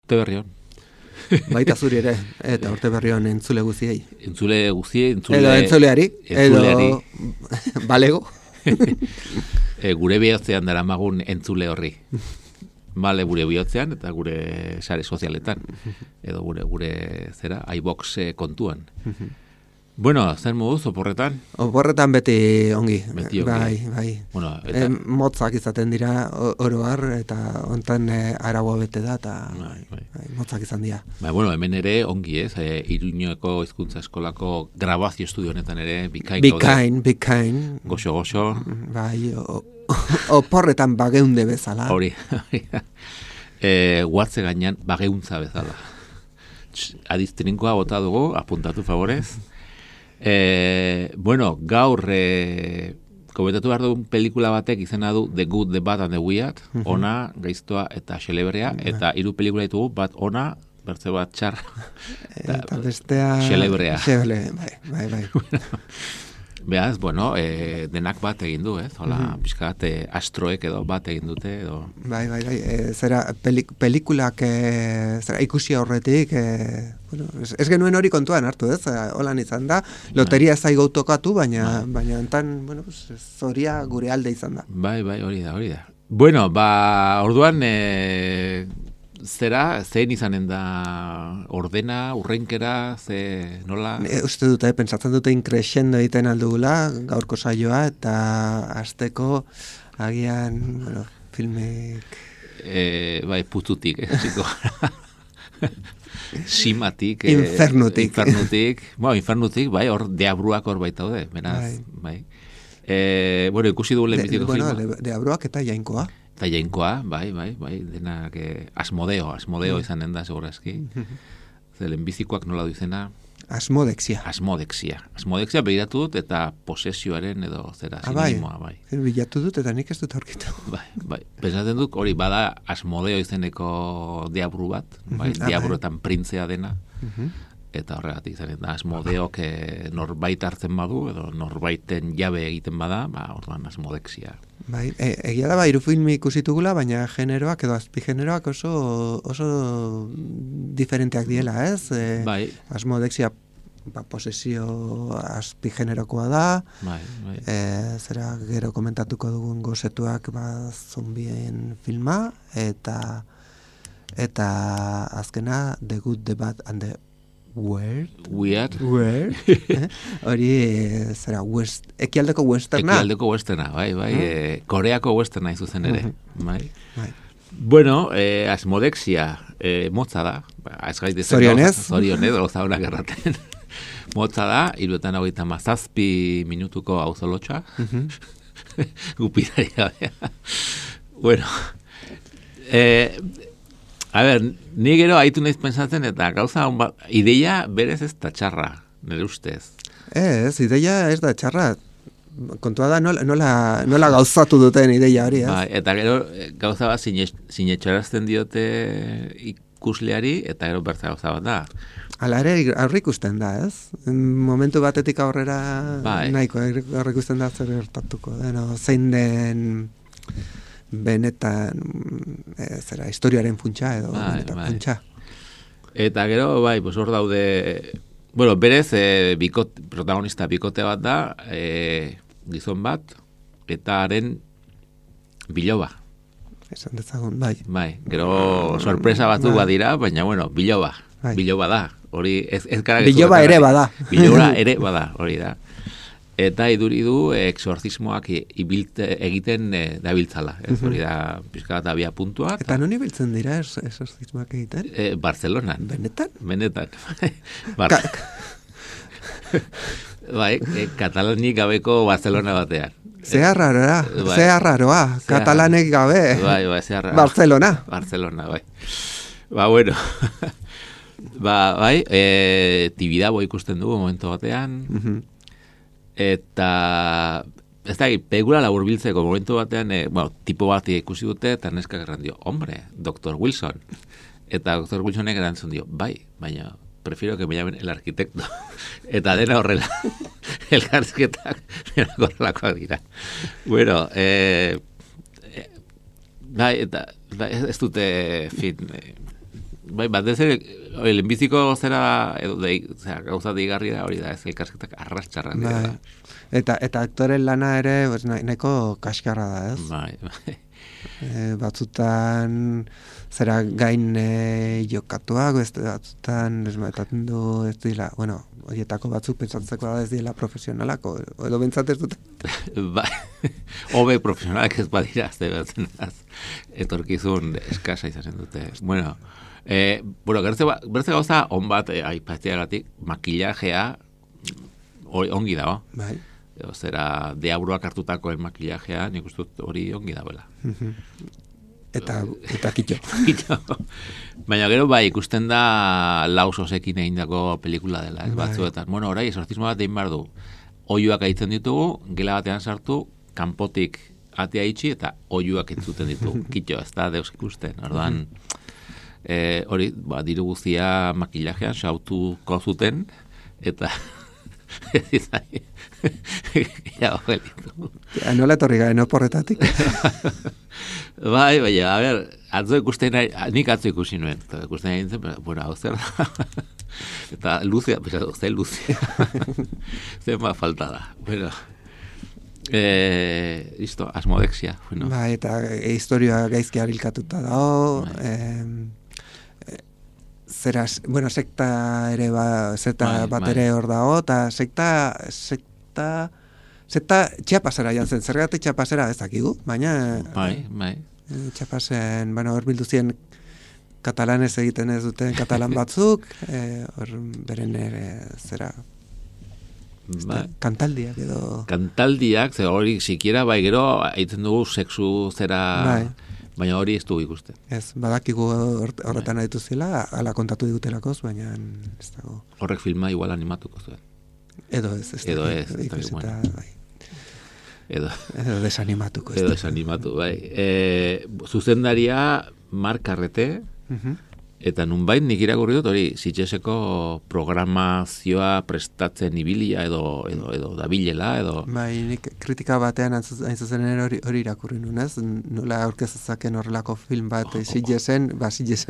Urte berri on. Baita zuri ere, eta urte berri on entzule guziei. Entzule, Edo entzuleari, edo balego. Gure bihotzean dara magun entzule horri. Bale, gure bihotzean eta gure sare sozialetan. Edo gure zera, iBox kontuan. Bueno, zer moduz, oporretan? Oporretan beti ongi. Beti ongi. Bai. Bueno, eta... motzak izaten dira oroar, eta hontan araua bete da, eta motzak izan dira. Bueno, hemen ere ongi ez, Iruñeko hizkuntza eskolako grabazio estudio honetan ere bikain. Bikain. Goxo. Bai, oporretan bageunde bezala. Hori. Guatze gainean bageuntza bezala. Adiztrinkoa bota dugu, apuntatu favorez. Bueno, gaur komentatu behar dugun pelikula batek izena du The Good, The Bad and The Weird, ona, gaiztoa eta xelebrea, eta 3 pelikula ditugu, bat ona, bertze bat txar, eta bestea xelebrea. Bai. Beaz, bueno, denak bat egin du, ez? Hola, pixkat astroek edo bat egin dute, edo... Bai. Zera, pelikulak ikusi horretik, bueno, ez genuen hori kontuan hartu, ez? Holan izan da, loteria zaigo tokatu, baina enten, bueno, zoria gure alde izan da. Bai, hori da. Bueno, orduan... Zera, zein izanen da ordena, urrenkera, nola? Uste dute, pentsatzen dute increscendo egiten aldugula, gaurko saioa, eta hasteko agian, bueno, filmek... Bai, pututik, ziko. Simatik. Infernutik. Bueno, infernutik, bai, hor deabruak hor baitaude, beraz, bai. Bueno, ikusi dugu lehenbiziko filma. Bueno, deabruak eta jainkoa. Eta jainkoa, bai, denak Asmodeo izanen da, segurazki. Lehenbizikoak nola du izena? Asmodexia. Asmodexia behiratu dut eta posesioaren edo zera sinonimoa, bai. Bilatu dut eta nik ez dut aurkitu. Bai. Pensatzen dut hori bada Asmodeo izeneko diabru bat, bai, diabruetan printzea dena. Eta horregatik izanen da, Asmodeok norbait hartzen badu, edo norbaiten jabe egiten bada, orduan Asmodexia. Bai, egia da 3 film ikusitugula, baina generoak edo azpigeneroak oso diferenteak diela, ez? Bai. Asmodexia posesio azpigenerokoa da. Bai. Zera gero komentatuko dugun gozetuak zombien filma, eta azkena The Good, The Bad and The Weird. Hori, zera, ekialdeko westerna. Bai. Koreako westerna izuzen ere. Bai. Bueno, Asmodexia motza da. Zorionez, gauza honak erraten. Motza da, 3:27 minutuko auzolotxa. Gupidari gabea. Bueno, a ber, ni gero haitu naiz pensatzen eta gauza ideia berez ez da txarra, nire ustez. Ez, ideia ez da txarra. Kontua da nola gauzatu duten ideia hori, ez? Ba, eta gero gauza bat sinetxarazten diote ikusleari eta gero bertza gauza bat da. Hala ere aurre ikusten da, ez? Momentu batetik aurrera nahiko aurre ikusten da zer gertatuko deno, zein den benetan zera historiaren funtsa edo benetan funtsa. Eta gero hor daude, bueno, berez protagonista bikote bat da, gizon bat eta haren biloba. Esan dezagun, bai. Gero sorpresa batzuk badira, baina bueno, biloba da. Hori ez biloba ere bada. Biloba ere bada, hori da. Eta iduridu exorcismoak egiten dabiltzala. Hori da, pixka bat abia puntua. Eta non ibiltzen dira exorcismoak egiten? Barcelonan. Benetan? Bai, katalanik gabeko Barcelona batean. Zea raroa, katalanek gabe. Bai, zea raroa. Barcelona, bai. Bueno, bai, Tibidabo ikusten dugu momentu batean, eta ez da, pelikula laburbiltzeko momentu batean, tipo bat ikusi dute, eta neskak erran dio, hombre, Dr. Wilson. Eta Dr. Wilsonek erantzun dio, bai, baina prefiero que me llamen el arquitecto. Eta dena horrela, elkarrizketak dena horrelakoak dira. Bueno, bai, eta ez dute, fin, Bai, batez ere, lehenbiziko zera, gauza deigarria hori da, ez elkarsketak arrastxarrak dira. Eta aktoren lana ere, pues, nahiko kaskarra da, ez? Bai. Batzutan zera gain jokatuak, beste batzutan desmaetatzen du ez dira, bueno, horietako batzuk pentsatzeko da ez dira profesionalak, edo bentsat ez dute. Bai, hobe profesionalak ez badira, azte batzen etorkizun eskasa izasen dute. Bueno, bertze gauza on bat aipatzeagatik, makillajea ongi dago. Bai. Zera, deabruak hartutakoen makillajea, nik uste dut hori ongi dagoela. Eta kitxo. Baina gero bai, ikusten da lausosekin egindako pelikula dela, ez batzuetan. Bueno, orai, esortzismo bat egin behar du. Oiuak aitzen ditugu, gela batean sartu, kanpotik atea itxi, eta oiuak entzuten ditugu. Kitxo, ez da deus ikusten. Orduan, hori, diru guztia makillajean sautuko zuten, eta nola etorri garen oporretatik? Bai, a ber, atzo ikusten nahi, nik atzo ikusi nuen, eta ikusten nahi nintzen, bueno, hau zer da, eta luzea, pesatu, zer luzea, zer ma falta da, bueno, listo, asmodexia, bueno. Bai, eta historioa gaizki arilkatuta dago, bueno, sekta ere bat ere hor dago, eta sekta txapasera jantzen, zergatik txapasera ez dakigu, baina bai. Txapasen, bueno, hor bildu ziren katalanez egiten ez duten katalan batzuk, hor beren ere zera kantaldiak edo... Kantaldiak, zer hori sikiera bai gero, aitzen dugu sexu zera... Baina hori ez dugu ikusten. Ez, badakigu horretan aditu zela, ala kontatu digutelakoz, baina ez dago. Horrek filma igual animatuko zuen. Edo ez. Edo desanimatuko. Edo desanimatu, bai. Zuzendaria Mark Carrete, eta nunbait nik irakurri dut hori, Sitgeseko programazioa prestatzen ibilia edo dabilela, edo... Bai, nik kritika batean hain zuzen hori irakurri nunez, nola aurkezazaken horrelako film bat Sitgesen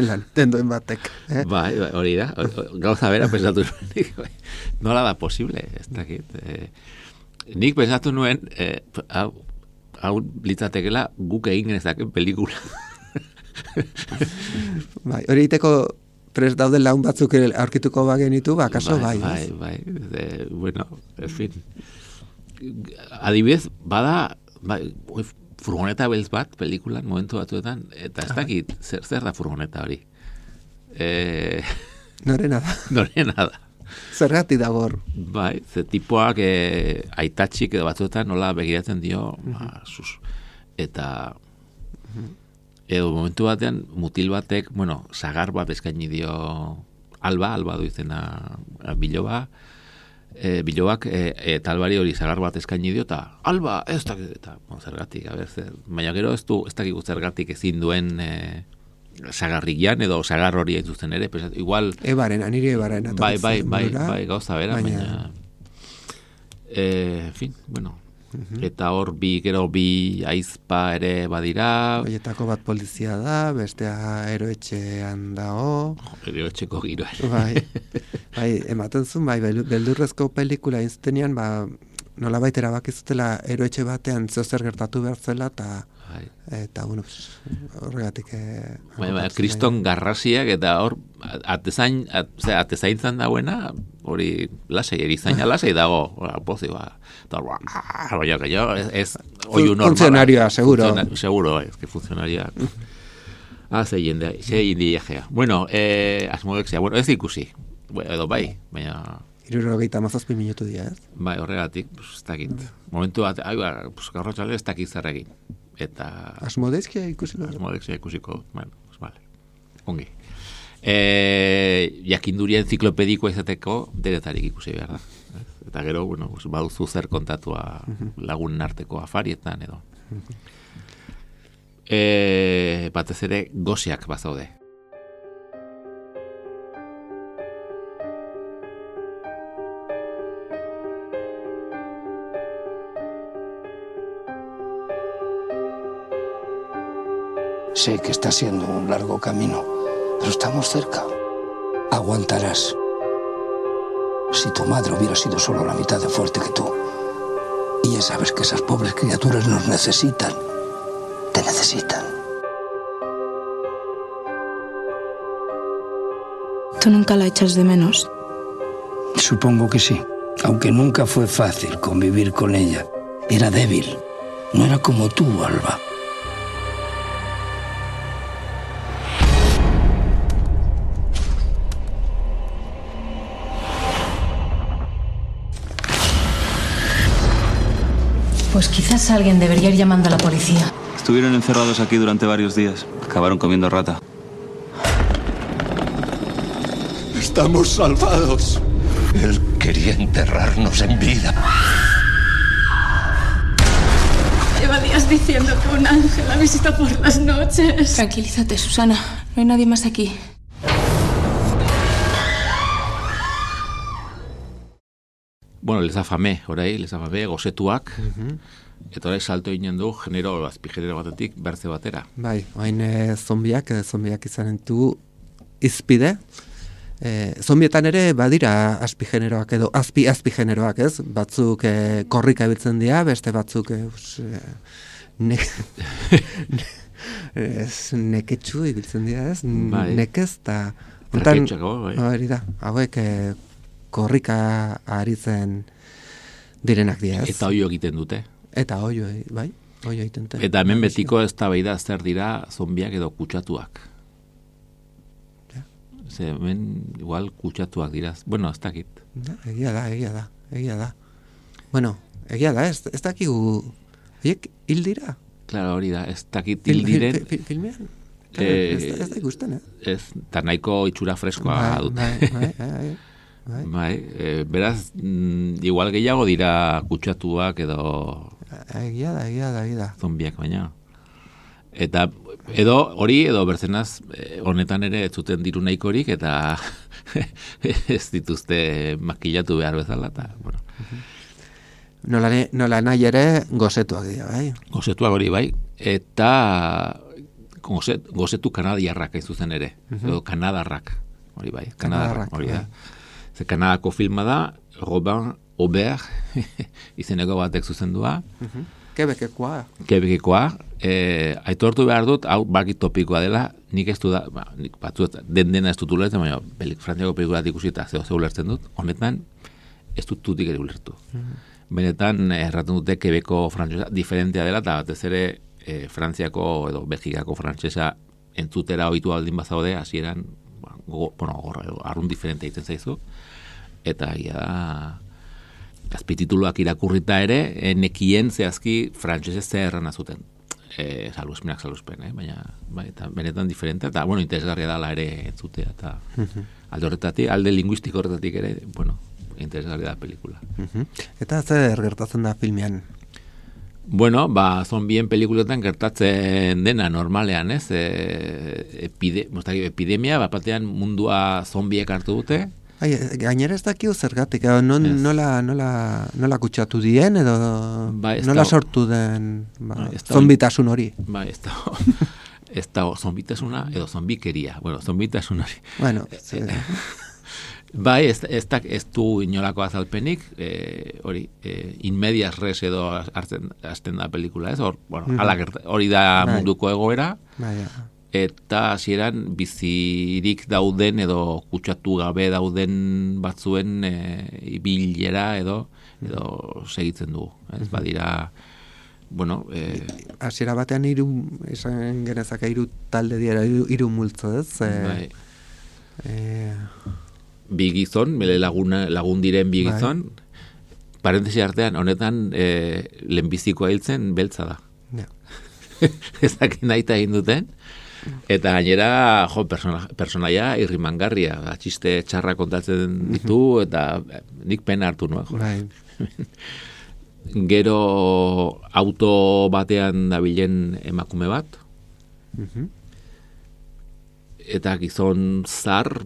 lan dendoen batek. Bai, hori da, gauza bera pensatu nuen, nola da posible, ez dakit. Nik pensatu nuen, hau litzatekela guk egin genezaken pelikula. Bai, hori iteko prest dauden laun batzuk aurkituko bagenitu, bakaso bai. Bueno, en fin. Adibidez, bada, furgoneta beltz bat, pelikulan, momentu batzuetan, eta ez dakit, zer da furgoneta hori? Norena da. Zergati dago hor. Bai, ze tipoak aitatxik edo batzuetan nola begiratzen dio, eta... Edo momentu batean, mutil batek, bueno, sagar bat eskaini dio alba du izena bilobak, eta albari hori sagar bat eskaini dio, eta alba, ez dakit, eta zergatik, baina gero ez dakik zergatik ezin duen sagarrikian, edo sagar hori hain ere, igual... Nire ebaren bai, gauza bera, baina... En fin, bueno... Eta hor gero bi aizpa ere badira. Horietako bat polizia da, bestea eroetxean dago. Eroetxeko giroa. Bai, ematen zuen, beldurrezko pelikula inztenean, nola baitera bakizutela eroetxe batean zeozer gertatu behar zela, eta bueno, horregatik... Kriston garrasiak, eta hor, atezaintzan dagoena, hori lasei, erizaina lasei dago, pozi, funcionarioa, seguro. Seguro, es que funcionaria. Ze indiajea. Bueno, asmodexia, bueno, ez ikusi. Edo bai, baina... 77 minutu dira, ez? Bai, horregatik, ez dakit. Momentu bat, gaur txale ez dakit zerregin. Eta... Asmodexia ikusiko? Asmodexia ikusiko, bueno, vale. Ongi. Jakinduria enziklopedikoa izateko denetarik ikusi behar da. Eta gero, bueno, baduzu zer kontatua lagunen arteko afarietan edo. Batez ere goziak bazaude. Sé que está siendo un largo camino, Pero estamos cerca. Aguantarás. Si tu madre hubiera sido solo la mitad de fuerte que tú. Y ya sabes que esas pobres criaturas nos necesitan. Te necesitan. ¿Tú nunca la echas de menos? Supongo que sí. Aunque nunca fue fácil convivir con ella. Era débil. No era como tú, Alba. Pues quizás alguien debería ir llamando a la policía. Estuvieron encerrados aquí durante varios días. Acabaron comiendo rata. Estamos salvados. Él quería enterrarnos en vida. Lleva días diciendo que un ángel la visita por las noches. Tranquilízate, Susana. No hay nadie más aquí. Bueno, les afame, gozetuak, eta orai salto ginen du azpigenero batetik bertze batera. Bai, oain zombiak izanen du izpide. Zombietan ere badira azpigeneroak edo azpigeneroak, ez? Batzuk korrika ebiltzen dira, beste batzuk neketxu ibiltzen dira, ez? Nekez eta... Traketxako, bai. Hori da, hauek korrika aritzen direnak dira, ez? Eta oio egiten dute. Eta oio, bai, oio egiten dute. Eta hemen betiko eztabaida zer dira zombiak edo kutsatuak. Ze hemen igual kutsatuak dira. Bueno, ez dakit. Egia da. Bueno, egia da, ez dakigu horiek hil dira. Claro, hori da, ez dakit hil diren. Filmean? Ez da ikusten, Ez, eta nahiko itxura freskoa dute. Bai, beraz, igual gehiago dira kutsatuak edo... Egia da. Zombiak baina. Eta edo hori, edo berzenaz, honetan ere ez zuten diru nahikorik, eta ez dituzte makillatu behar bezala, eta, bueno. Nola nahi ere gozetuak dira, bai? Gozetuak hori, bai. Eta gozetu kanadiarrak ez zuzen ere, edo kanadarrak, hori bai, kanadarrak, hori da. Ze Kanadako filma da, Robin Aubert, izeneko batek zuzendua. Quebekekoa. Aitortu behar dut, hau bakit topikoa dela, nik ez du da, nik batzuet dena ez dut ulertzen, baina Frantziako pelikulat ikusi eta ze ulertzen dut, honetan ez dut tutik ere ulertu. Benetan, erraten dute Quebeko frantzesa diferentea dela, eta batez ere Frantziako edo Belgikako frantzesa entzutera ohitu aldin bazaude, hasieran arrun diferente egiten zaizu, eta da azpitituluak irakurrita ere, nekien zehazki frantsesez zer erran azuten. Saluzpen, baina eta benetan diferente, eta interesgarria dala ere entzutea, eta alde horretatik, alde linguistiko horretatik ere, interesgarria da pelikula. Eta zer gertatzen da filmean? Bueno, zombien pelikuletan gertatzen dena normalean, ez? Epidemia, batean mundua zombiek hartu dute. Gainera ez dakiu zergatik, nola kutsatu dien, edo nola sortu den zombitasun hori. Ez da zombitasuna, edo zombikeria. Bueno, zombitasun hori. Bueno, ez du inolako azalpenik, hori, in medias res edo hasten da pelikula, ez? Hori da munduko egoera, eta hasieran bizirik dauden edo kutsatu gabe dauden batzuen ibilera edo segitzen dugu. Ez badira, hasiera batean esan genezake hiru talde dira, hiru multzo, ez? Bi gizon, lagun diren bi gizon, parentesi artean, honetan lehenbizikoa hiltzen beltza da. Ezak nahi egin duten, eta gainera, personaia irrimangarria, txiste txarra kontatzen ditu, eta nik pena hartu nuen. Gero auto batean dabilen emakume bat, eta gizon zar,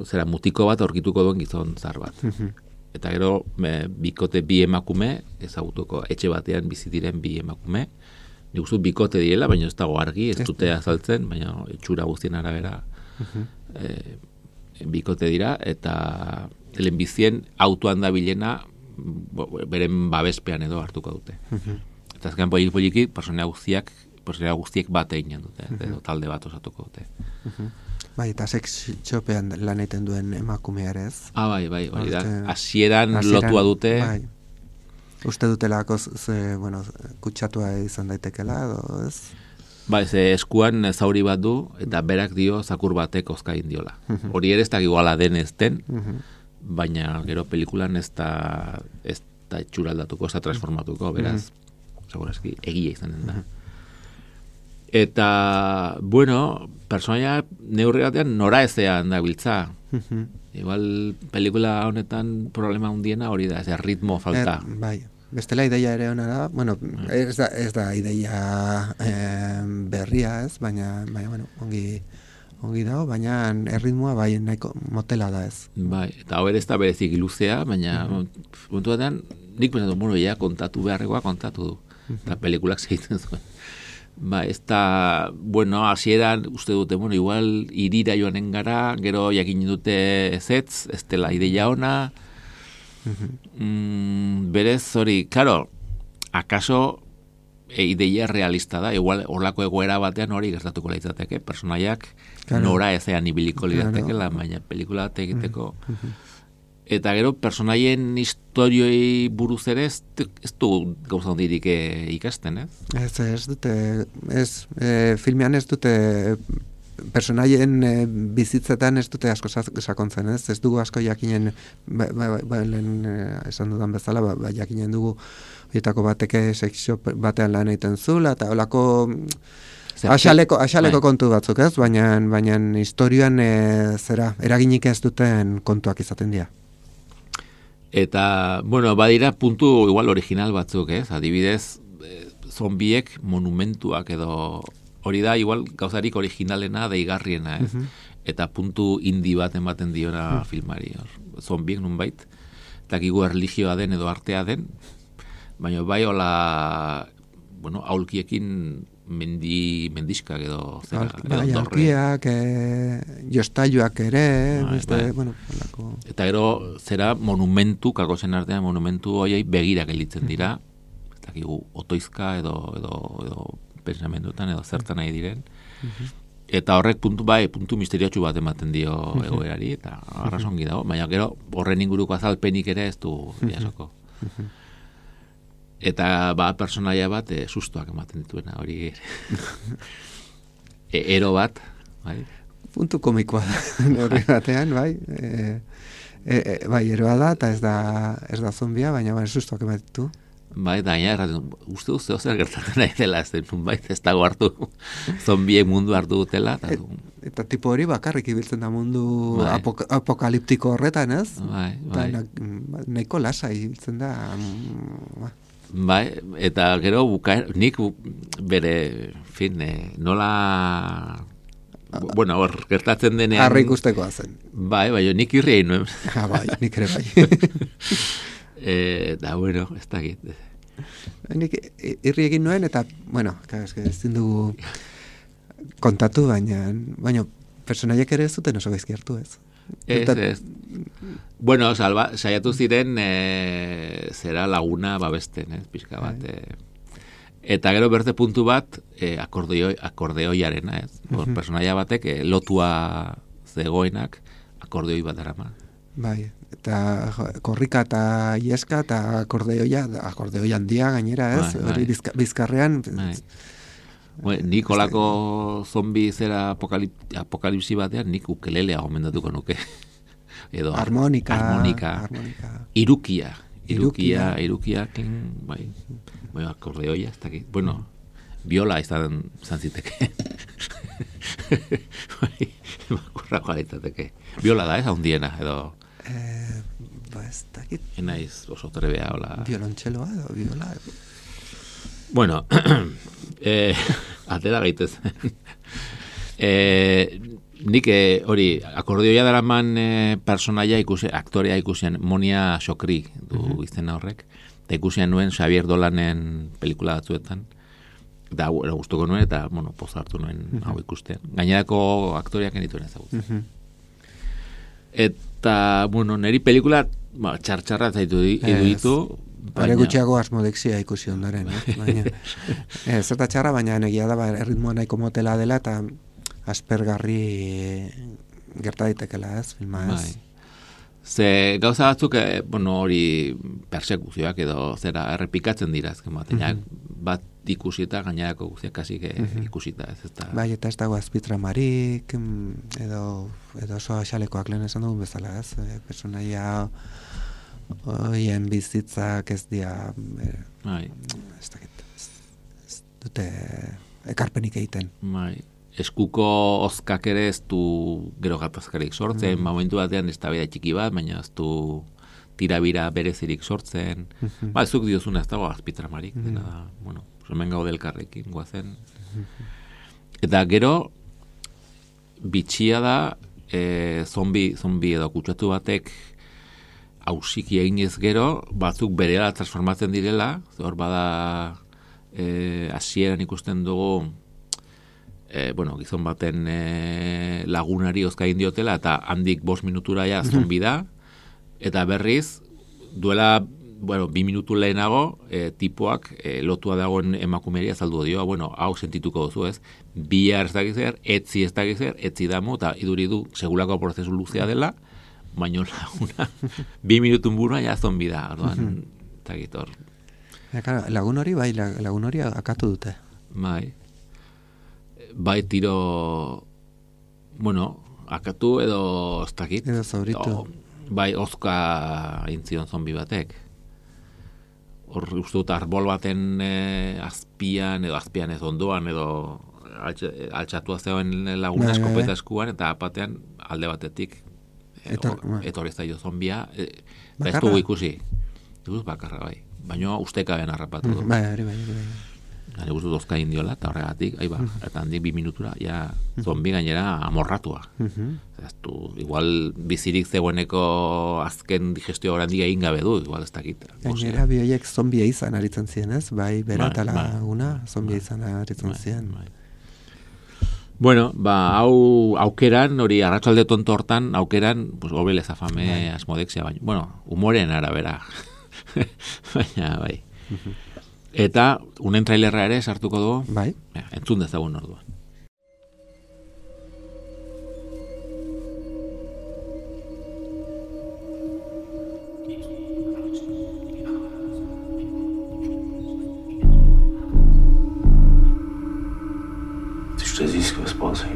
zera mutiko bat aurkituko duen gizon zar bat. Eta gero bikote bi emakume, ez autoko etxe batean bizi diren bi emakume, nik uste bikote direla, baina ez dago argi, ez dute azaltzen, baina itxura guztien arabera bikote dira, eta lehenbizien autoan da bilena beren babespean edo hartuko dute. Eta azken poliki, personea guztiek bat eginen dute, edo talde bat osatuko dute. Bai, eta sex shopean lan egiten duen emakumearez. Bai, da. Hasieran lotua dute. Bai. Uste dutelako kutsatua izan daitekela, edo ez? Bai, eskuan zauri bat du, eta berak dio zakur batek ozkain diola. Hori ere ez da iguala den ez den, baina gero pelikulan ez da etxuraldatuko, ez da transformatuko, beraz, segurazki, egia izanen da. Eta, bueno, personaia neurri batean nora ezean da biltza. Igual, pelikula honetan problema hundiena hori da, ez ritmo falta. Bai, bestela ideia ere hona da, bueno, ez da ideia berria ez, baina bueno, ongi dago, baina erritmoa bai nahiko motela da ez. Bai, eta hau ere ez da berezik iluzea, baina momentu batean, nik pensatu, bueno, kontatu beharrekoa kontatu du, eta pelikulak segiten zuen. Ba, ez da, bueno, hasieran uste dute, bueno, igual irira joanen gara, gero jakin dute ezetz, ez dela ideia ona, berez hori, claro, akaso ideia realista da, igual horlako egoera batean hori gertatuko litzateke, personaiak nora ezean ibiliko liratekela, baina pelikula bat egiteko. Eta gero, personaien historioi buruz ere ez du gauza hondirik ikasten, ez? Ez dute, filmean ez dute, personaien bizitzetan ez dute asko sakontzen, ez? Ez dugu asko jakinen, lehen esan dudan bezala, jakinen dugu horietako bateke sexo batean lan egiten zula, eta holako asaleko kontu batzuk, ez? Baina historioan eraginik ez duten kontuak izaten dira. Eta, bueno, badira puntu igual original batzuk, ez? Adibidez, zombiek monumentuak edo hori da igual gauzarik originalena deigarriena, ez? Eta puntu indi bat ematen diona filmari. Zombiek nunbait, dakigu erlijioa den edo artea den, baina bai hola, bueno, aulkiekin mendiskak edo bai, aulkiak, jostailuak ere, bueno, eta gero zera monumentu, kakosen artean monumentu horiei begirak elitzen dira, ez dakigu otoizka edo pensamendutan edo zertan nahi diren, eta horrek puntu misteriotsu bat ematen dio egoerari, eta arrazongi dago, baina gero horren inguruko azalpenik ere ez du jasoko. Eta personaia bat sustoak ematen dituena, hori ero bat, bai? Puntu komikoa da, horri batean, bai? Bai, eroa da, eta ez da zombia, baina sustoak ematen ditu. Bai, da, uste duzeo zer gertatzen nahi dela, ez dago hartu, zombiek mundu hartu dutela. Eta tipo hori bakarrik ibiltzen da mundu apokaliptiko horretan, ez? Bai. Nahiko lasa ibiltzen da. Bai, eta gero nik bere, nola... Bueno, hor, gertatzen denean... Harri ikustekoa zen. Bai, nik irri egin nuen. Bai, nik ere bai. Da, bueno, ez da egin. Nik irri egin nuen, eta, bueno, ezin dugu kontatu, baina personaiek ere ez duten oso gaizki hartu, ez? Ez. Bueno, saiatu ziren zera laguna babesten, pixka bat. Eta gero berte puntu bat akordeoiarena, ez? Personaia batek lotua zegoenak akordeoi bat arama. Bai, eta korrika eta ieska eta akordeoi handia gainera, ez? Hori bizkarrean... Nik olako zombi zera apokalipsi batean nik ukelelea gomendatuko nuke. Edo harmonika. Irukia, bai, akordeoia, ez dakit. Bueno, biola izan ziteke. Makurrako alitateke. Biola da, ez handiena, edo... ez dakit. Enaiz oso trebea, hola... Violontxeloa edo biola... Bueno, atera gaitez. Nik hori, akordeoia daraman personaia aktorea ikusian, Monia Xokri du izena horrek, eta ikusian nuen Xavier Dolanen pelikula batzuetan, Eta gustuko nuen, eta, poza hartu nuen hau ikusten. Gainerako aktoriak enituen ezagutzen. Eta, niri pelikula txartxarra zaitu ditu. Bare gutxiago asmodexia ikusi ondoren, baina zerta txarra, baina egia da erritmoa nahiko motela dela eta aspergarri gerta daitekela filma ez. Ze gauza batzuk, hori persekuzioak edo zera errepikatzen dira azken batean, bat ikusi eta gainerako guztiak kasik ikusita ez. Bai, eta ez dago azpitramarik, edo oso axalekoak lehen esan dugun bezala ez, personaia oien bizitzak ez dira ez dute ekarpenik egiten. Eskuko ozkak ere ez du gero gatazkarik sortzen, momentu batean ez da bera txiki bat, baina ez du tirabira berezirik sortzen. Zuk diozuna ez dago azpitramarik, dena da, hemen gaude elkarrekin guazen. Eta gero, bitxia da, zombi edo kutsatu batek hausiki eginez gero, batzuk berela transformatzen direla, hor bada hasieran ikusten dugu gizon baten lagunari ozkain diotela, eta handik 5 minutura ja zombi da, eta berriz, duela 2 minutu lehenago, tipoak lotua dagoen emakumeria azaldu dio, hau sentituko duzu ez, bihar ez dakizer, etzi ez dakizer, etzi damu, eta iduri du segulako prozesu luzea dela, baina laguna 2 minutun burua ja zombi da, orduan, eta gitor. Lagun hori akatu dute. Bai tiro, akatu edo ez dakit. Edo zauritu. Bai, ozka intzion zombi batek. Hor uste dut arbol baten azpian ez ondoan, edo altxatua zegoen laguna eskopeta eskuan, eta apatean alde batetik etorri zaio zombia, eta ez dugu ikusi. Ikusi bakarra, bai. Baina ustekabean harrapatu du. Bai. Gane guztu dozka indiola, eta horregatik, eta handik 2 minutura, zombi gainera amorratua. Igual bizirik zegoeneko azken digestio horandik egin gabe du, igual ez dakit. Gainera bioiek zombia izan aritzen ziren, ez? Bai, bera eta laguna, zombia izan aritzen ziren. Hau aukeran, hori arratsalde tonto hortan, aukeran, gobel ezafame asmodexia, baina, humoren arabera. Baina, bai. Eta unen trailerra ere sartuko dugu. Bai. Entzun dezagun orduan. Je te dis ce qui va se passer.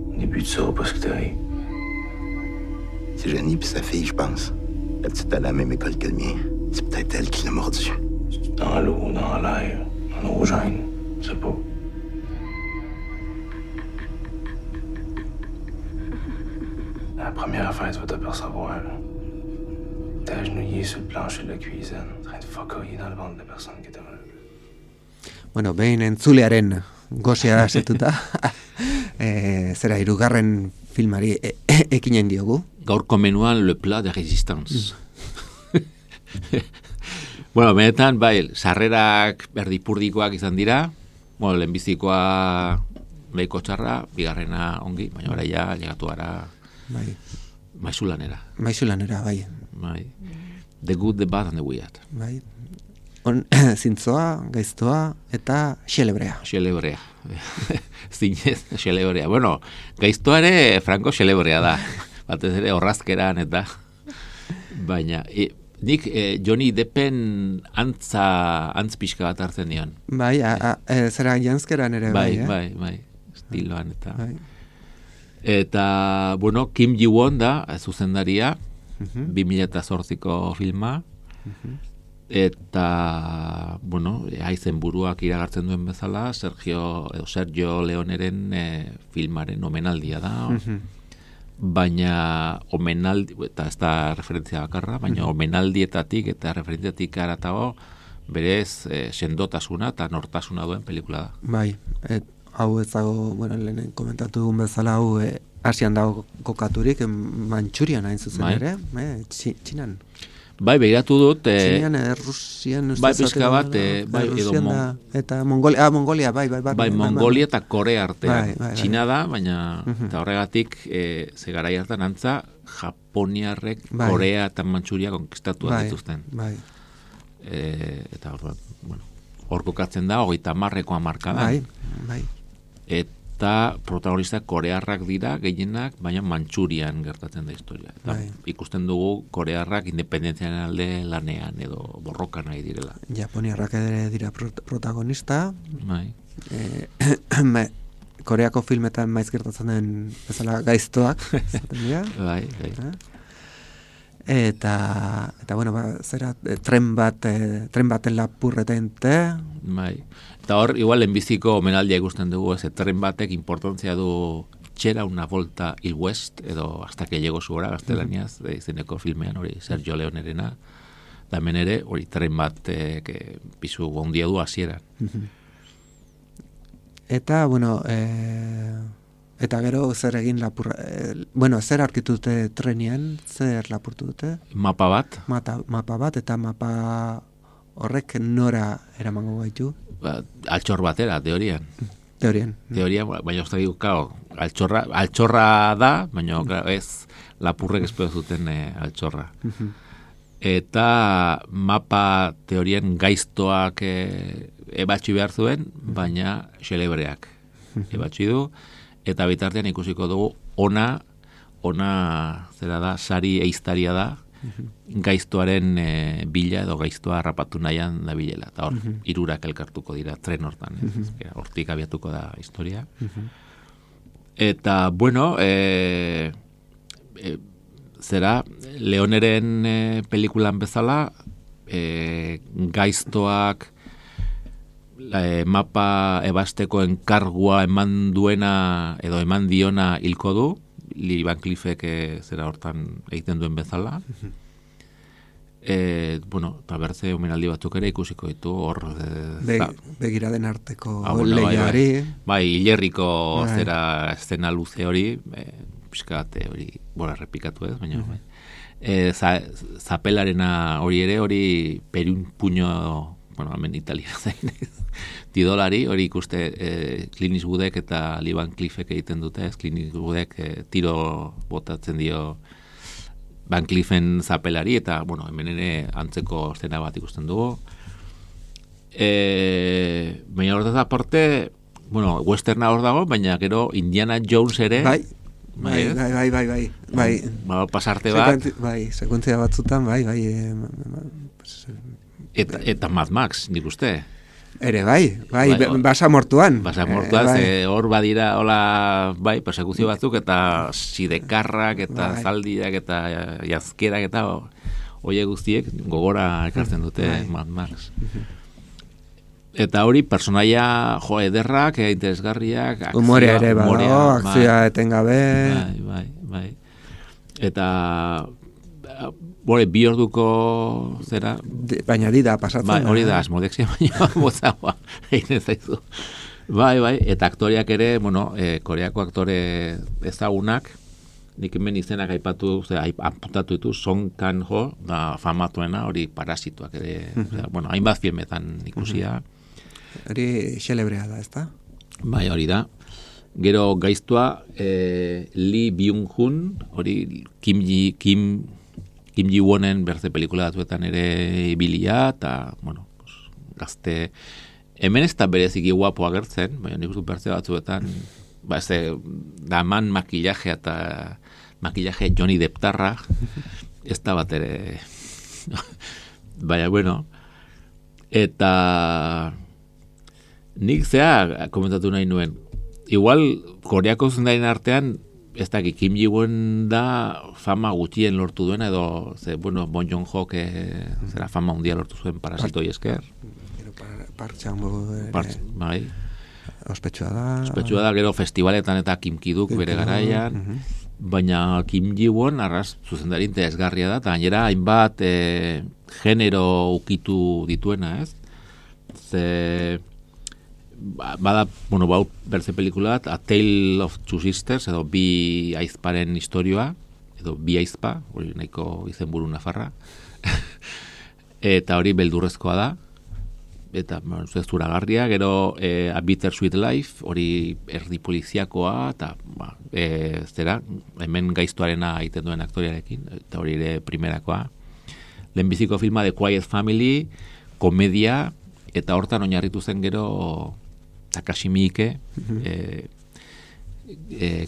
Au début, tu sauras pas ce qui t'arrive. C'est Jenny puis sa fille, je pense. La petite à la même école que le mien. C'est peut-être elle qui l'a mordu. Dans l'eau, dans l'air, dans nos gènes, je sais pas. La première affaire, tu vas t'apercevoir. T'es agenouillé sur le plancher de la cuisine, en train de focoyer dans le ventre de la personne qui était malade. Behin entzulearen gozia asetuta, zera hirugarren filmari ekinen diogu. Gaurko menuan le plat de résistance. Benetan, sarrerak erdipurdikoak izan dira, lehenbizikoa lehiko txarra, bigarrena ongi, baina ora ja, llegatu gara maizulanera. Maizulanera, bai. The good, the bad and the weird. Bai. Zintzoa, gaiztoa eta xelebrea. Xelebrea. Zinez, xelebrea. Gaiztoa ere franko xelebrea da. Batez ere horrazkeran eta baina nik Johnny Deppen antz pixka bat hartzen dion. Bai, zera janzkeran ere bai, estiloan eta eta, Kim Ji-won da zuzendaria 2008ko filma eta, haizen buruak iragartzen duen bezala Sergio Leoneren filmaren omenaldia da. Baina omenaldi, eta ez da referentzia bakarra, baina omenaldietatik eta referentziatik aratago berez sendotasuna eta nortasuna duen pelikula da. Bai, hau ez dago, lehen komentatu dugun bezala, hau Asian dago kokaturik, Manchurian hain zuzen ere, Txinan. Bai, begiratu dut. Txinean, Rusian, bai, pizka bat, bai, edo eta Mongolia, bai. Bai, Mongolia eta Korea artean. Txina da, baina, eta horregatik, ze garai hartan antza, Japoniarrek Korea eta Mantxuria konkistatu dituzten. Bai. Eta hor kokatzen da, 30ko hamarkada. Bai. Eta protagonistak korearrak dira gehienak, baina Mantxurian gertatzen da historia. Eta ikusten dugu korearrak independentziaren alde lanean edo borrokan nahi direla. Japoniarrak ere dira protagonista. Bai. Koreako filmetan maiz gertatzen den bezala gaiztoak. Bai. Eta bueno, zera tren baten lapurretente. Bai. Eta hor, igual, lehenbiziko omenaldia ikusten dugu, tren batek importantzia du txera una volta il west, edo hasta que llego su hora, gaztelaniaz, izeneko filmean, hori Sergio Leonerena, da hemen ere, hori tren bat pizu ondia du hasieran. Eta, bueno, eta gero zer egin zer arkitu dute trenean, zer lapurtu dute? Mapa bat. Mapa bat, eta mapa horrek nora eramango gaitu? Altxor batera, teorian. Teorian, baina uste dukao, altxorra da, baina ez lapurrek espero zuten altxorra. Eta mapa teorian gaiztoak ebatxi behar zuen, baina xelebreak ebatxi du, eta bitartean ikusiko dugu ona zera da, sari eiztaria da, gaiztoaren bila edo gaiztoa harrapatu nahian da bilela. Eta hor, 3 elkartuko dira tren hortan. Hortik abiatuko da historia. Eta, bueno, zera, Leoneren pelikulan bezala, gaiztoak mapa ebasteko enkargua eman duena edo eman diona hilko du, Lee Van Cleefek zera hortan egiten duen bezala. Bueno, eta bertze omenaldi batzuk ere ikusiko ditu hor begiraden arteko lehiari. Bai, hilerriko zera eszena luze hori, pixkat hori, errepikatu ez, baina zapelarena hori ere, hori perun puño, hemen Italia zain tidolari, hori ikuste Clint Eastwoodek eta Lee Van Cleefek egiten dute, Clint Eastwoodek tiro botatzen dio Van Cleefen zapelari, eta, hemen ere antzeko zena bat ikusten dugu. Baina horretaz aparte, westerna hor dago, baina gero Indiana Jones ere... Bai. Pasarte bat. Bai, sekuentzia batzutan, bai. Eta Mad Max, nik uste. Ere, bai, basamortuan. Hor badira, hola, persekuzio batzuk, eta sidekarrak, eta zaldiak, eta jazkerak, eta oie guztiek gogora ekartzen dute Mad Max. Eta hori, personaia ederrak, interesgarriak, humorea ere badago, akzioa etengabe. Bai. Eta... bi orduko zera... Baina dida pasatzen. Bai, hori da, asmodexia baina bozagoa egin zaizu. Bai, eta aktoriak ere, koreako aktore ezagunak, nik hemen izenak apuntatu ditu, Song Kang-ho, da famatuena, hori Parasituak ere, hainbat filmetan ikusia. Hori xelebrea da, ezta? Bai, hori da. Gero gaiztua, Lee Byung-hun, hori Kim Ji-wonen berze pelikula batzuetan ere ibilia, eta, gazte, hemen ez da bereziki guapo agertzen, baina nik uste berze batzuetan, daman makillaje eta makillaje Johnny Depptarra, ez da bat ere, baina, eta nik komentatu nahi nuen, igual, koreako zundaren artean, ez da, Kim Ji-won da fama gutxien lortu duena, edo, Bon Joon-ho, zera fama undia lortu zuen Parasitoi esker. Park Chan-wook bai. Ospetsua da, gero festivaletan eta Kim Ki-duk bere garaian, baina Kim Ji-won arras zuzendari interesgarria da, eta gainera hainbat genero ukitu dituena, ez? Bada, berze pelikula, A Tale of Two Sisters, edo bi aizparen historioa, edo Biaizpa, hori nahiko izenburu nafarra, eta hori beldurrezkoa da, eta zuragarria, gero A Bittersweet Life, hori erdi poliziakoa, eta zera, hemen gaiztuarena egiten duen aktoriarekin, eta hori ere primerakoa. Lehenbiziko filma The Quiet Family, komedia, eta hortan oinarritu zen gero Takashi Miike,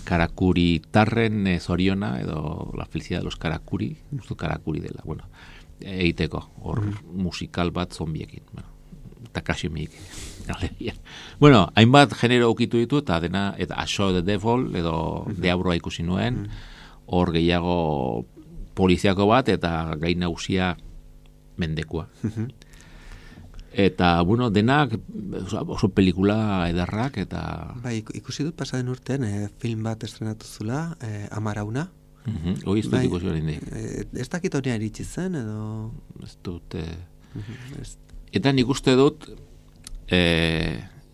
Karakuri tarren zoriona, edo La felicidad de los Karakuri, Karakuri dela, bueno, egiteko, hor musikal bat zombiekin, bueno. Takashi Miike. Bueno, hainbat genero ukitu ditu, eta dena, eta A Show the Devil, edo Deabroa ikusi nuen, hor gehiago poliziako bat, eta gai nagusia mendekua. Eta, bueno, denak oso pelikula edarrak, eta... Bai, ikusi dut pasaden urtean, film bat estrenatu zula, Amarauna. Hoi, ez dut ikusi hori indik. Ez dakit hori iritsi zen, edo... Ez dut... Eta nik uste dut,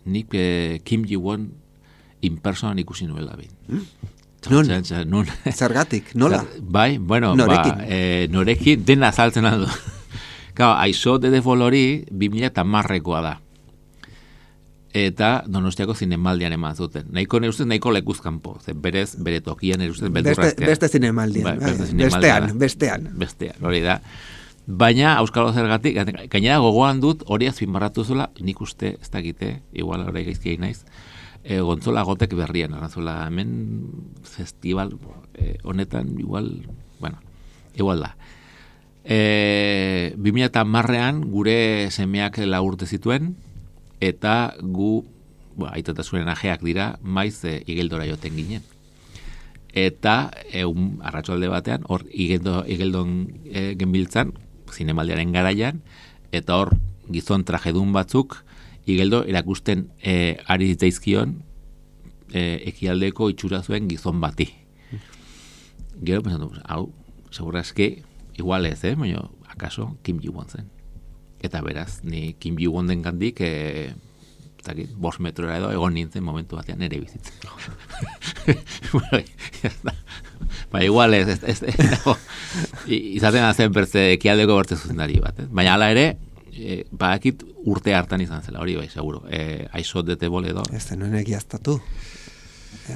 nik Kim Ji-won in person ikusi nuela bin. Non? Zergatik, nola? Bai, bueno, norekin dena azaltzen aldo. Claro, I Saw the Devil hori 2010koa da. Eta Donostiako zinemaldian eman zuten. Nahiko lekuzkanpo, berez, bere tokian eruzten beldurraztean. Beste zinemaldian. Bestean, hori da. Baina, Euskalo Zergatik, gainera gogoan dut, hori azpimarratu zula, nik uste, ez dakite, igual hori gaizkiai naiz, Gontzola Gotek berrian, arazola, hemen festival honetan, igual da. 2010ean gure semeak 4 urte zituen, eta gu, aitatazunen ajeak dira, maiz Igeldora joten ginen. Eta, arratsalde batean, hor Igeldon genbiltzan, zinemaldiaren garaian, eta hor gizon trajedun batzuk Igeldo erakusten ari zitzaizkion ekialdeko itxura zuen gizon bati. Gero pensatu, hau, segurazki igual ez, baina akaso Kim Ji-won zen. Eta beraz, ni Kim Ji-won den gandik 5 metrora edo egon nintzen momentu batean ere bizitzen. Bueno, ba, igual ez izaten azen bertze ekialdeko bertze zuzendari bat. Baina hala ere, badakit urte hartan izan zela, hori bai, seguro. I Saw the Devil edo. Ez zenuen egiaztatu.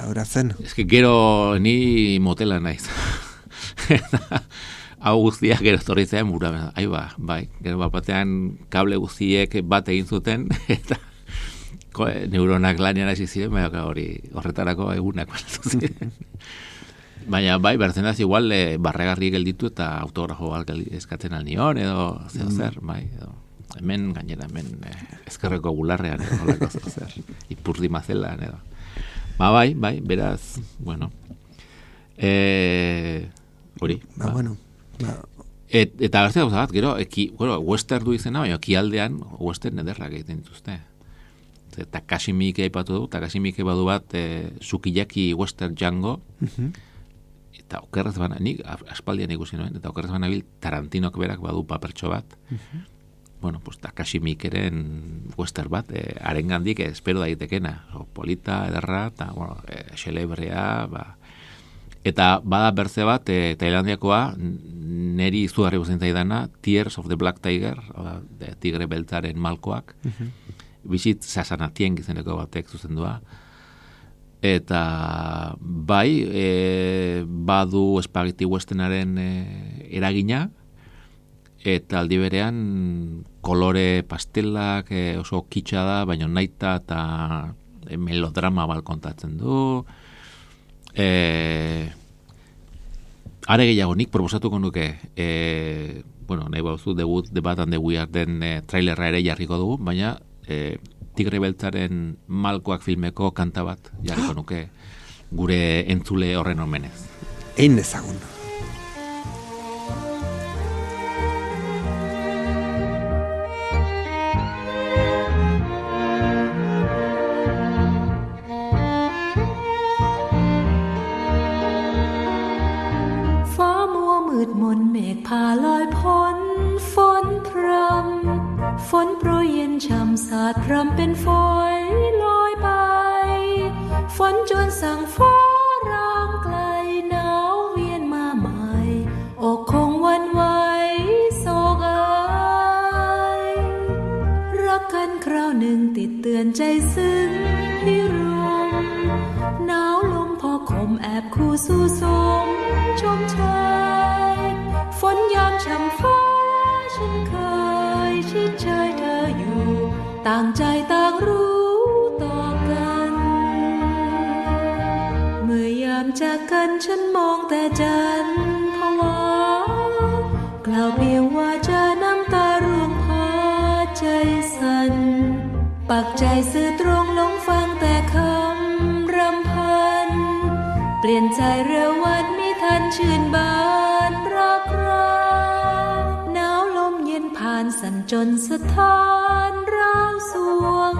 Ahora zen. Ez que gero ni motela naiz. Hau guztiak gero etorri zen bura. Bai. Gero batean kable guztiek bat egin zuten, eta neuronak lanian hasi ziren, baina hori horretarako egunak balatu ziren. Baina bai, berzenaz igual barregarri gelditu eta autografo bat eskatzen alnion, edo zer, bai, edo hemen gainera, ezkerreko bularrean, edo holako zer, ipurdi mazelan, edo. Bai, beraz, bueno, hori. Eta gazte gauza bat, gero, western du izena, baina ekialdean western ederrak egiten dituzte. Takashi Miike aipatu du, Takashi Miike badu bat Sukiyaki Western Django, eta okerrez bana, nik aspaldian ikusi noen, eta okerrez bana bil Tarantinok berak badu papertxo bat. Bueno, pues Takashi Miikeren western bat, arengandik espero daitekena, polita, ederra, eta, bueno, xelebrea, eta bada bertze bat, Tailandiakoa, neri izugarri guzen zaidana, Tears of the Black Tiger, tigre beltzaren malkoak, bizit Sasanatien gizeneko batek zuzendua. Eta bai, badu Spaghetti Westernaren eragina, eta aldi berean kolore pastelak oso kitsa da, baina naita eta melodrama bat kontatzen du. Are gehiago nik proposatuko nuke, bueno, nahi bauzu, debut The Bad and the Weird den trailerra ere jarriko dugu, baina Tigre Beltzaren Malkoak filmeko kanta bat jarriko nuke gure entzule horren omenez. Egin dezagun.ฟ้ามัวมืดมนเมฆพาลอยพ้นฝนพรำฝนโปรยเย็นช่ำสาดพรำเป็นฝอยลอยไปฝนจวนสั่งฟ้าร้องไกลหนาวเวียนมา ดเตือนใจซึ้งพิรมหนาวลมพอคมแอบคู่สู่สมชมเชยฝนยามช่ำฟ้าฉันเคยชิดเชยเธออยู่ต่างใจต่างรู้ต่อกันเมื่อยามจากกันฉันมองแต่จันทร์ภาวะกล่าวเพียงว่าจะน้ำตาร่วงพาใจสั่นปักใจซื่อตรงลงฟังแต่คำรำพันเปลี่ยนใจเร็ววันมิทันชื่นบานรักราหนาวลมเย็นผ่านสั่นจนสถานร้าวสวง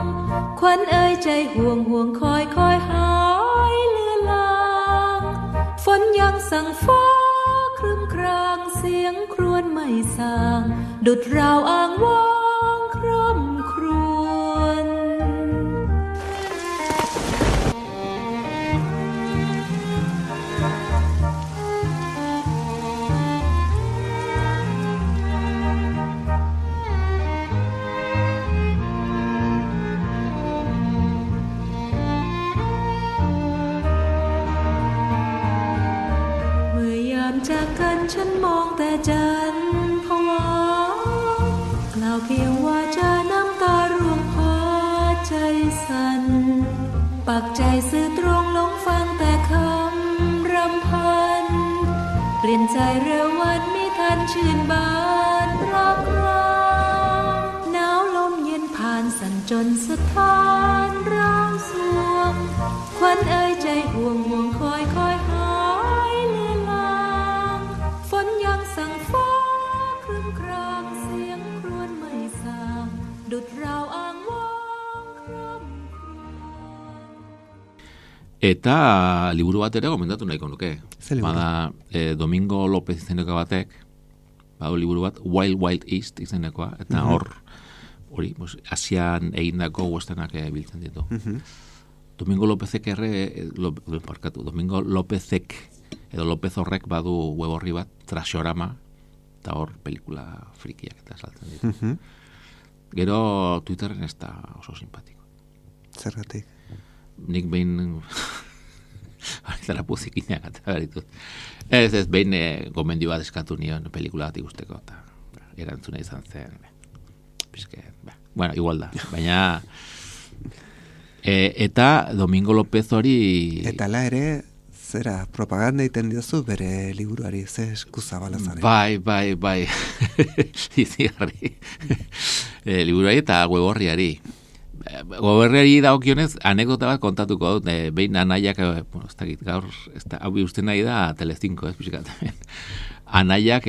ควันเอ่ยใจห่วงห่วงคอยคอยหายเลือนลางฝนยังสั่งฟ้าครึ้มครางเสียงครวญไม่สางดุจราวอ้างว้างคร่ำครวญจากกันฉันมองแต่จันทร์ภาวะกล่าวเพียงว่าจะน้ำตาร่วงพาใจสั่นปักใจซื่อตรงลงฟังแต่คำรำพันเปลี่ยนใจเร็ววันมิทันชื่นบานรักราหนาวลมเย็นผ่านสั่นจนสถานร้าวสวงควันเอ่ยใจห่วงห่วงคอยคอยหายเลือนลางฝนยังสั่งฟ้าครึ้มครางเสียงครวญไม่สางดุจราวอ้างว้างคร่ำครวญ Eta liburu bat ere gomendatu nahiko nuke. Bada Domingo López izeneko batek, badu liburu bat Wild Wild East izenekoa, eta hori, Asian egindako westernak biltzen ditu. Domingo Lópezek Domingo Lópezek edo López horrek badu web horri bat, Trashorama, eta hor pelikula frikiak eta saltzen ditu. Gero Twitterren ez da oso simpatiko. Zergatik? Nik behin zara puzikinak eta beritut. Ez behin gomendio bat eskatu nion pelikula bat ikusteko, eta erantzuna izan zen. Bueno, igual da, baina eta Domingo López hori... Eta la ere, zera, propaganda egiten diozu bere liburuari, ze eskuzabala zaren. Bai, izigarri. Liburuari eta web-horriari. Web-horriari dagokionez, anekdota bat kontatuko dut, behin anaiak, ez dakit, gaur, hau uste nahi da Telecinco, ez pixkat. Anaiak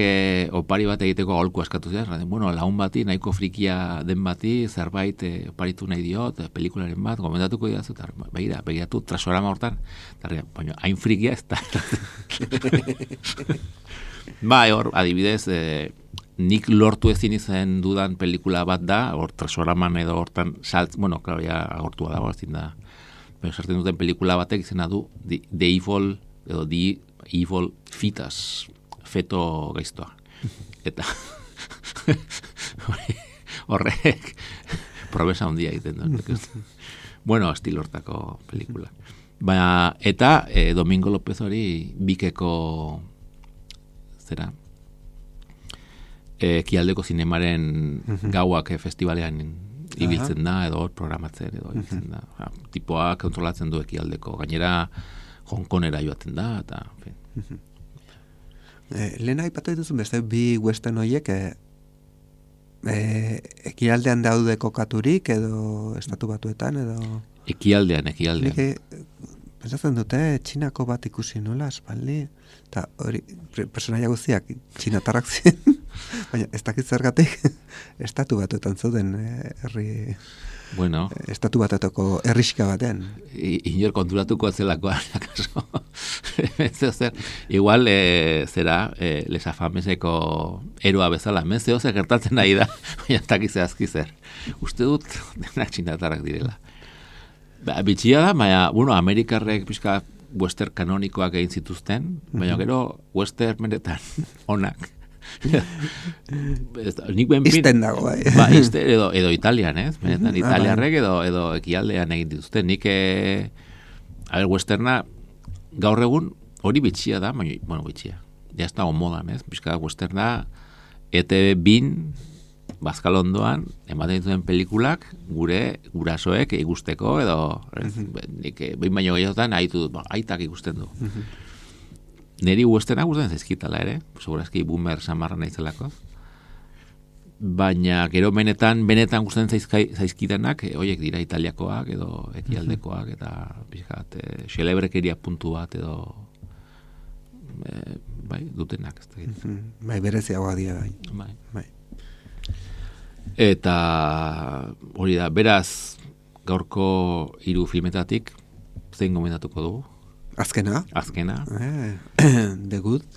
opari bat egiteko aholku askatu ziren, bueno, lagun bati, nahiko frikia den bati, zerbait oparitu nahi diot, pelikularen bat, gomendatuko didazu, eta begiratu Trashorama hortan, baina hain frikia ez da. Bai, hor, adibidez, nik lortu ezin izan dudan pelikula bat da, hor Trashoraman edo hortan bueno, klaro, ja agortua dago, ezin da, baina sartzen duten pelikula batek izena du The Evil, edo The Evil Fetus, feto gaiztoa. Eta horrek probesa handia egiten du. Bueno, estilo hortako pelikula. Baina, eta Domingo López hori Bikeko zera Ekialdeko zinemaren gauak festivalean ibiltzen da, edo programatzen, edo ibiltzen da. Tipoa kontrolatzen du Ekialdeko. Gainera, Hongkonera joaten da, eta... Lehen aipatu dituzun beste bi western horiek ekialdean daude kokaturik edo estatu batuetan edo... Ekialdean. Pentsatzen dute txinako bat ikusi nola aspaldi eta hori personaia guztiak txinatarrak ziren, baina ez dakit zergatik estatu batuetan zauden herri... Bueno, estatu batetako herriska batean. Inor konturatuko atzelakoa, akaso. Igual, zera, Les Afameseko eroa bezala, zeo zer gertatzen nahi da, baina takize azki zer. Uste dut, denak txinatarrak direla. Bitxia da, baina, bueno, Amerikarrek pixka western kanonikoak egin zituzten, baina gero western menetan onak Nik benpin... Izten dago, bai. Ba, edo Italian, ez? Benetan, italiarrek edo ekialdean egin dituzte. Nik, westerna, gaur egun, hori bitxia da, baina, bueno, bitxia. Ja ez dago modan, ez? Bizka westerna, ETV bin, Bazkalondoan, ematen dituen pelikulak, gure gurasoek ikusteko, edo, nik, behin baino gehiotan, aitak ikusten du. Neri westernak gustatzen zaizkitala ere, segurazki boomer samarra naizelako. Baina gero benetan gustatzen zaizkitanak, horiek dira italiakoak edo ekialdekoak eta pixkat xelebrekeria puntu bat edo bai, dutenak. Bai, bereziagoa dira bai. Bai. Eta hori da, beraz gaurko 3 filmetatik zein gomendatuko dugu? Azkena. The Good.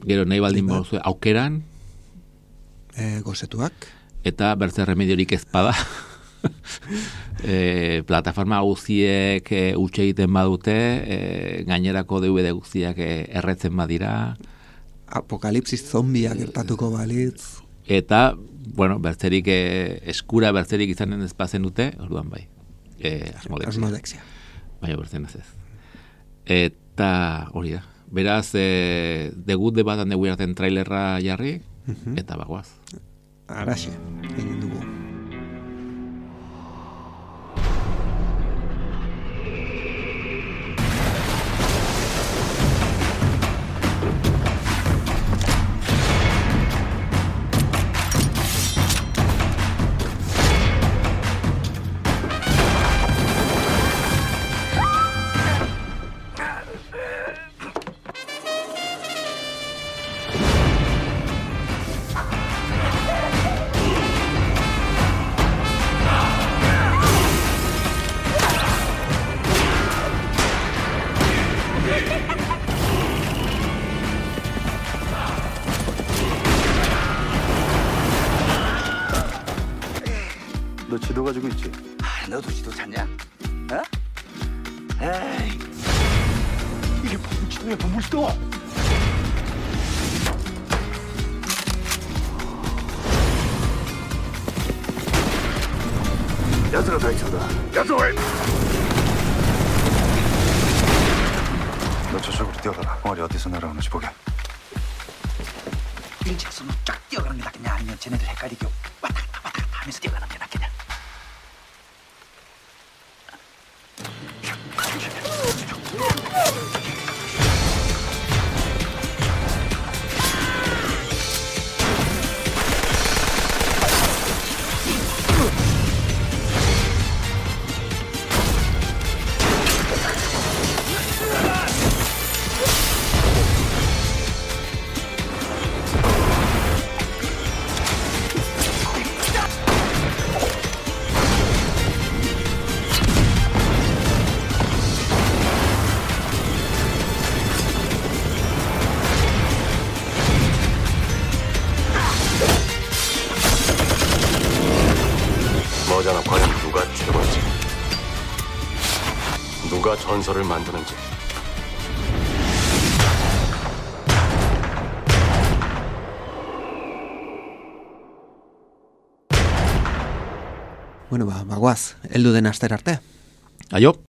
Gero nahi baldin bauzue aukeran. Gozetuak. Eta bertze remediorik ezpada. Plataforma guztiek utxe egiten badute, gainerako DVD guztiak erretzen badira. Apokalipsis zombiak gertatuko balitz. Eta, bueno, bertzerik eskura bertzerik izanen ezpazen dute, orduan bai. Asmodexia. Baina bertzen ez. Eta hori da. Beraz, The Good bat handegu eraten trailerra jarri, eta bagoaz. Araxe, egin dugu. 너 지도 가지고 있지? 너도 지도 찾냐? 어? 에이, 이게 무슨 지도야, 무슨 지도? 야스가 다이쳐다. 야스 왜? 너 저쪽으로 뛰어가라. 덩어리 어디서 날아오는지 보게. 일직선으로 쫙 뛰어가는 게 낫겠냐, 아니면 쟤네들 헷갈리게 왔다 갔다 하면서 뛰어가는 게 낫겠냐? 너잖아, 과연 누가 최고인지, 누가 전설을 만드는지. Bueno, bagoaz, heldu den aster arte. Aio.